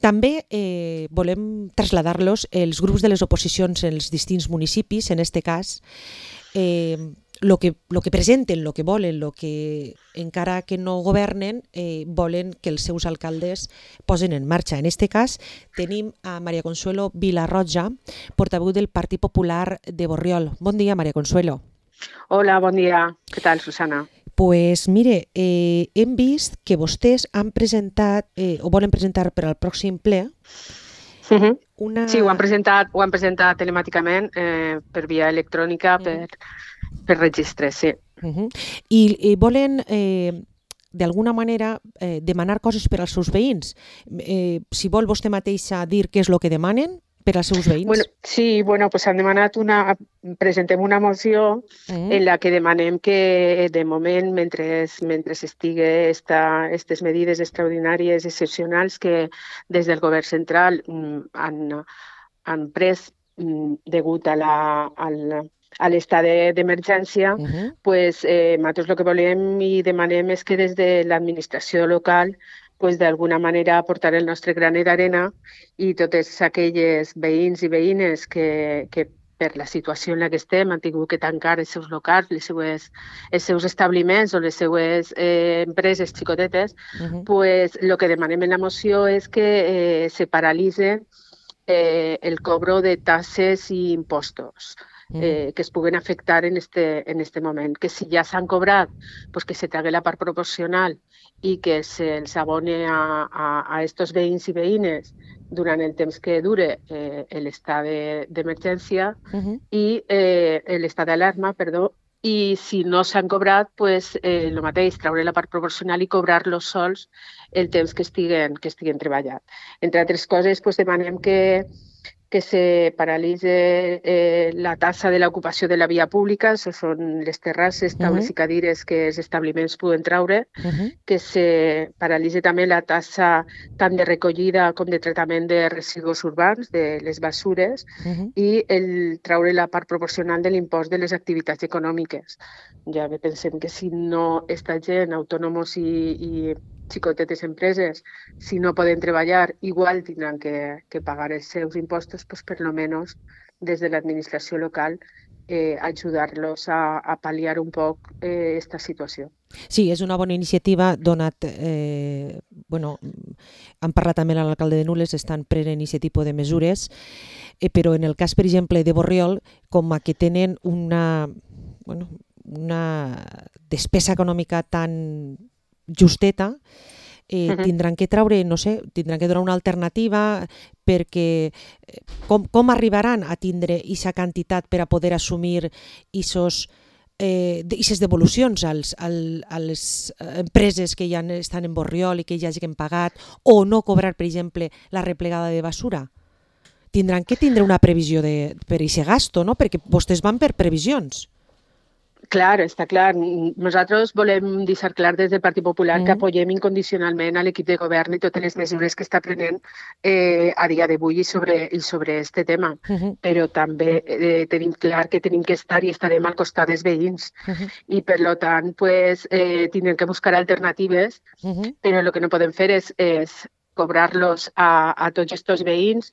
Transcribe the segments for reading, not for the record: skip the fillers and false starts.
També volem traslladar-los els grups de les oposicions en els distints municipis, en este cas, lo que presenten, lo que volen, lo que encara que no governen, volen que els seus alcaldes posen en marxa. En este cas tenim a María Consuelo Vilarroja, portaveu del Partit Popular de Borriol. Bon dia, María Consuelo. Hola, bon dia. Què tal, Susana? Pues mire, hem vist que vostès han presentat o volen presentar per al pròxim ple una... Sí, ho han presentat telemàticament per via electrònica, per registre, sí. I volen, d'alguna manera, demanar coses per als seus veïns. Si vol vostè mateixa dir què és el que demanen per als seus veïns. Pues han demanat presentem una moció en la que demanem que, de moment, mentre estigui aquestes medides extraordinàries, excepcionals que des del govern central han pres degut a l'estat d'emergència, pues nosaltres el que volem i demanem és que des de l'administració local pues d'alguna manera aportar el nostre granet d'arena i totes aquelles veïns i veïnes que per la situació en la que estem han tingut que tancar els seus locals, els seus establiments o les seues empreses xicotetes, pues el que demanem en la moció és que se paralitze el cobro de taxes i impostos que es puguen afectar en este moment. Que si ja s'han cobrat, pues que se tregui la part proporcional i que se'ls abone a estos veïns i veïnes durant el temps que dure l'estat d'emergència i l'estat d'alarma, perdó, i si no s'han cobrat, pues, el mateix, treure la part proporcional i cobrar-los sols el temps que estiguen treballant. Entre altres coses, pues, demanem que se paralitze la taxa de l'ocupació de la via pública, això són les terrasses, taules i cadires que els establiments poden treure, que se paralitze també la taxa tant de recollida com de tractament de residus urbans, de les basures, i treure la part proporcional de l'impost de les activitats econòmiques. Ja pensem que si no està gent, autònoms i xicotetes empreses, si no poden treballar, igual tindran que pagar els seus impostos, pues per lo menos des de l'administració local ajudar-los a pal·liar un poc aquesta situació. Sí, és una bona iniciativa, donat, han parlat també amb l'alcalde de Nules, estan prenent aquest tipus de mesures, però en el cas, per exemple, de Borriol, com que tenen una despesa econòmica tan justeta, tindran que treure, no sé, tindran que donar una alternativa perquè com arribaran a tindre aquesta quantitat per a poder assumir aquestes devolucions a les empreses que ja estan en Borriol i que ja hagin pagat o no cobrar, per exemple, la replegada de basura? Tindran que tindre una previsió per a aquest gasto, no? Perquè vostès van per previsions. Clar, està clar. Nosaltres volem deixar clar des del Partit Popular que apoyem incondicionalment a l'equip de govern i totes les mesures que està prenent a dia d'avui i sobre aquest tema. Però també tenim clar que tenim que estar i estarem al costat dels veïns. I per tant, tindrem que buscar alternatives, però el que no podem fer és cobrar-los a tots aquests veïns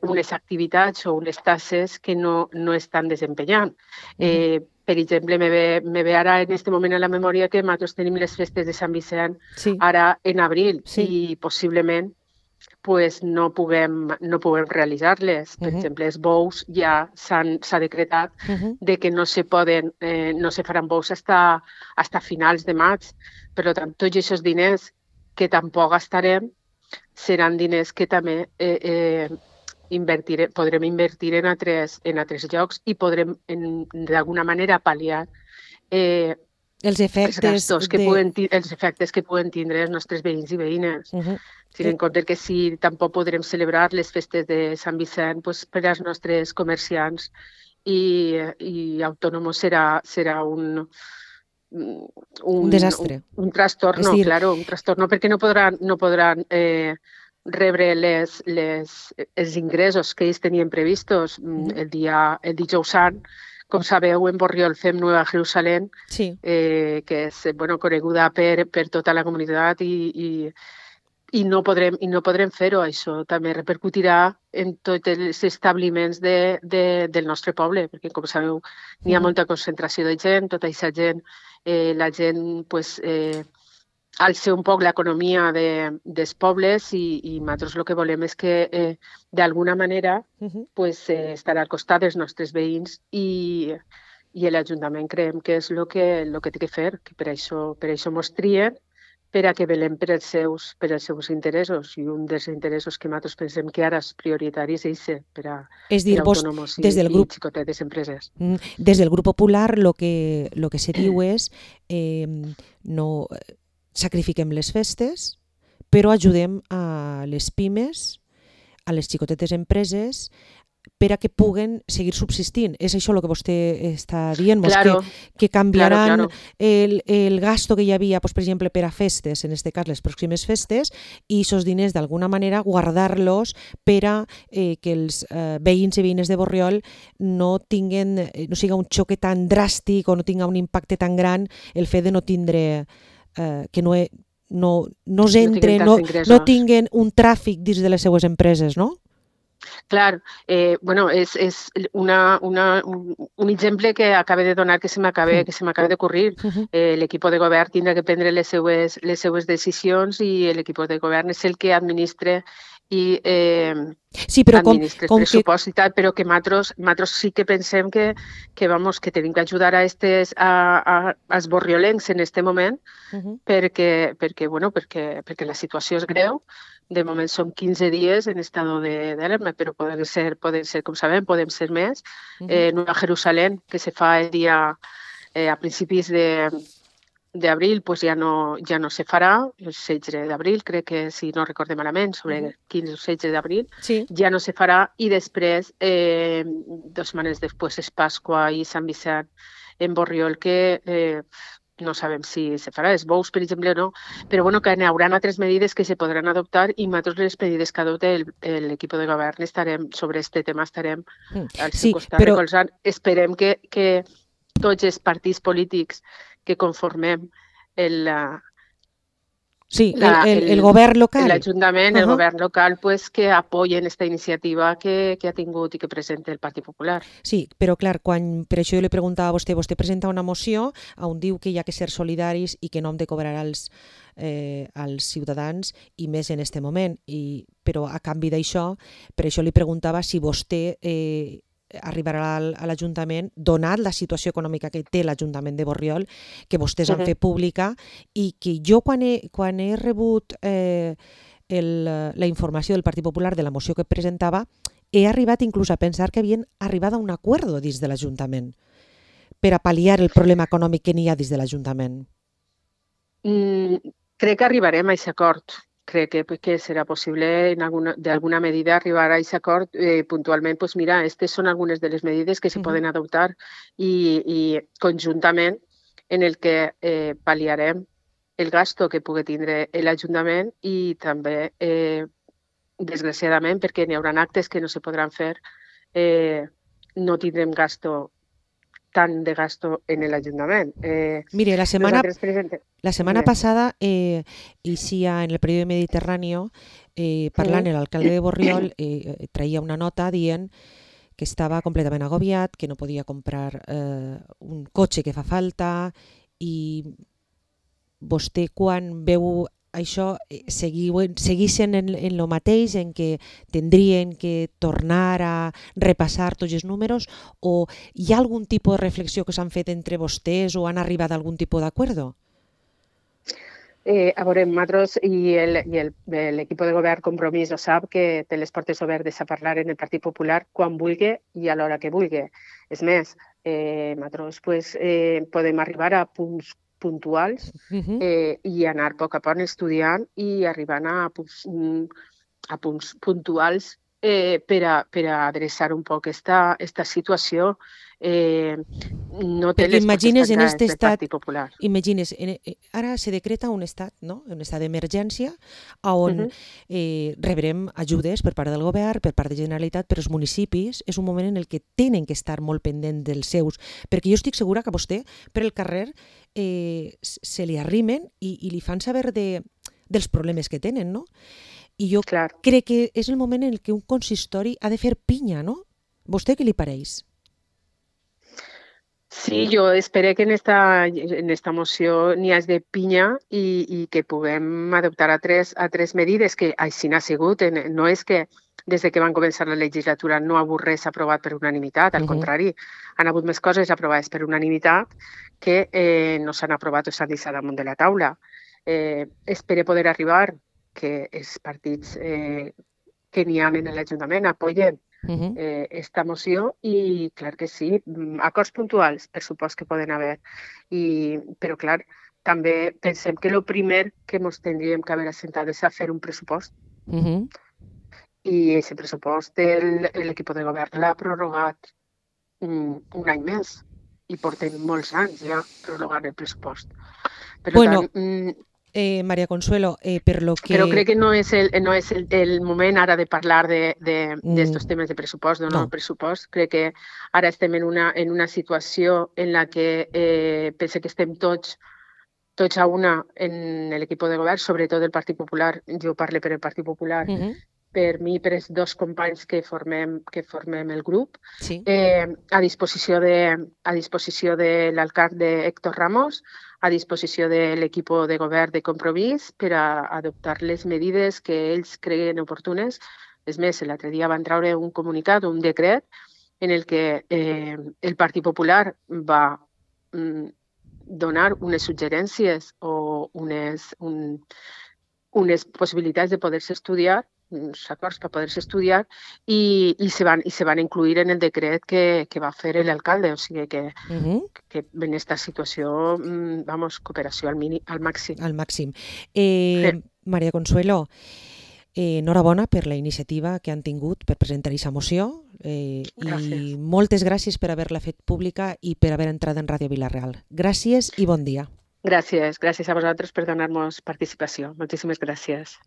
unes activitats o unes tasses que no estan desempenyant. Per exemple, me ve ara en aquest moment a la memòria que nosaltres tenim les festes de Sant Vicent ara en abril i possiblement no puguem realitzar-les. Per exemple, els bous ja s'ha decretat de que no se faran bous fins finals de maig. Per tant, tots aquests diners que tampoc gastarem seran diners que també podrem invertir en altres llocs i podrem d'alguna manera pal·liar els efectes que poden tindre els nostres veïns i veïnes. Tenint en compte que si tampoc podrem celebrar les festes de Sant Vicent, per als nostres comerciants i autònoms serà un desastre. Un trastorno, claro, un trastorno perquè no podran rebre els ingressos que ells tenien previstos el dijous sant. Com sabeu, en Borriol fem Nueva Jerusalén, que és coneguda per tota la comunitat i no podrem fer-ho. Això també repercutirà en tots els establiments del nostre poble, perquè, com sabeu, n'hi ha molta concentració de gent, tota aquesta gent, la gent pues, alça un poc l'economia dels pobles i nosaltres el que volem és que, d'alguna manera, pues, estar al costat dels nostres veïns i l'Ajuntament creiem que és el que té que fer, que per això mos trien, per a que velem per els seus interessos, i un dels interessos que nosaltres pensem que ara és prioritari és aquest, per a autònoms i xicotetes empreses. Des del grup popular lo que se diu és no sacrifiquem les festes, però ajudem a les pimes, a les xicotetes empreses, per a que puguen seguir subsistint. És això el que vostè està dient, claro, que canviaran el gasto que hi havia, pues, per exemple, per a festes, en aquest cas les pròximes festes, i aquests diners d'alguna manera guardar-los per a que els veïns i veïnes de Borriol no siga un xoc tan dràstic o no tinga un impacte tan gran el fet de no tindre que no tinguen un tràfic dins de les seues empreses, no? Clar, bueno, és un exemple que acaba de donar que se m'acaba d'ocurrir. L'equip de govern tindrà que prendre les seues decisions i l'equip de govern és el que administra i administra el pressupost i tal, però que nosaltres sí que pensem que tenim que ajudar als borriolencs en aquest moment perquè la situació és greu. De moment són 15 dies en estado d'alarma, però poden ser, com sabem, poden ser més. Nova Jerusalem, que se fa el dia a principis d'abril, pues ja no se farà, el 16 d'abril, crec que, si no recordem malament, sobre el 15 o 16 d'abril, ja no se farà, i després, 2 setmanes després, és Pasqua i Sant Vicent en Borriol, que no sabem si se farà, els bous, per exemple, o no, però bueno, que hi haurà altres medides que se podran adoptar i nosaltres les medides que adopta l'equip de govern sobre aquest tema estarem al seu costat recolzant. Esperem que tots els partits polítics que conformem el govern local, l'Ajuntament, el govern local, pues, que apoyen aquesta iniciativa que ha tingut i que presenta el Partit Popular. Sí, però clar, per això jo li preguntava a vostè presenta una moció on diu que hi ha que ser solidaris i que no hem de cobrar als ciutadans, i més en aquest moment, però a canvi d'això, per això li preguntava si vostè arribarà a l'Ajuntament, donat la situació econòmica que té l'Ajuntament de Borriol, que vostès han fet pública, i que jo quan he rebut la informació del Partit Popular de la moció que presentava, he arribat inclús a pensar que havien arribat a un acord dins de l'Ajuntament per a pal·liar el problema econòmic que n'hi ha dins de l'Ajuntament. Crec que arribarem a aquest acord. Crec que serà possible d'alguna medida arribar a aquest acord puntualment. Pues mira, aquestes són algunes de les medides que se poden adoptar i conjuntament en el que pal·liarem el gasto que pugui tindre l'Ajuntament i també, desgraciadament, perquè n'hi haurà actes que no se podran fer, no tindrem tant de gasto en l'Ajuntament. Mire, la setmana passada, eixia en el periòdic Mediterráneo, parlant l'alcalde de Borriol, traia una nota dient que estava completament agobiat, que no podia comprar un cotxe que fa falta, i vostè, quan veu això, segueixen en el mateix, en que tindrien que tornar a repassar tots els números, o hi ha algun tipus de reflexió que s'han fet entre vostès o han arribat a algun tipus d'acord? A veure, nosaltres i l'equip de govern Compromís ho sap, que té les portes obertes a parlar en el Partit Popular quan vulgui i a l'hora que vulgui. És més, nosaltres podem arribar a punts puntuals i anar a poc a poc estudiant i arribant a punts puntuals per a adreçar un poc aquesta situació. No té les imagines en aquest estat, Popular. Imagines, ara se decreta un estat, no? Un estat d'emergència on rebrem ajudes per part del govern, per part de Generalitat, però els municipis és un moment en el que tenen que estar molt pendents dels seus, perquè jo estic segura que vostè per el carrer se li arrimen i li fan saber de dels problemes que tenen, no? I jo Clar. crec que és el moment en què un consistori ha de fer pinya, no? ¿Vostè què li pareix? Sí, yo esperé que en esta moción n'hi hagi de pinya i que puguem adoptar a tres medides que així n'ha sigut. No és que des que van començar la legislatura no ha hagut res aprovat per unanimitat, al contrari, han hagut més coses aprovades per unanimitat que no s'han aprovat o s'han deixat damunt de la taula. Espero poder arribar que els partits que n'hi ha en l'Ajuntament apoyen esta moció i, clar que sí, acords puntuals, per supost que poden haver. Però, clar, també pensem que el primer que ens tindríem que haver assentat és a fer un pressupost. I aquest pressupost l'equip de govern l'ha prorrogat un any més i portem molts anys ja prorrogant el pressupost. Per tant, María Consuelo, per lo que... Però crec que no és el moment ara de parlar d'estos temes de pressupost, no. Pressupost. Crec que ara estem en una situació en la que pense que estem tots a una en l'equip de govern, sobretot el Partit Popular. Jo parlo per el Partit Popular, per mi i per els dos companys que formem el grup, a disposició de l'alcalde Héctor Ramos, a disposició de l'equip de govern de Compromís per a adoptar les medides que ells creien oportunes. És més, l'altre dia van treure un comunicat, un decret, en el que el Partit Popular va donar unes suggerències o unes possibilitats de poder-se estudiar, uns acords per poder-se estudiar, i se van incluir en el decret que va fer l'alcalde. O sigui que en aquesta situació, cooperació al màxim. Al màxim. María Consuelo, enhorabona per la iniciativa que han tingut per presentar aquesta moció i moltes gràcies per haver-la fet pública i per haver entrat en Ràdio Vila-real. Gràcies i bon dia. Gràcies a vosaltres per donar-nos participació. Moltíssimes gràcies.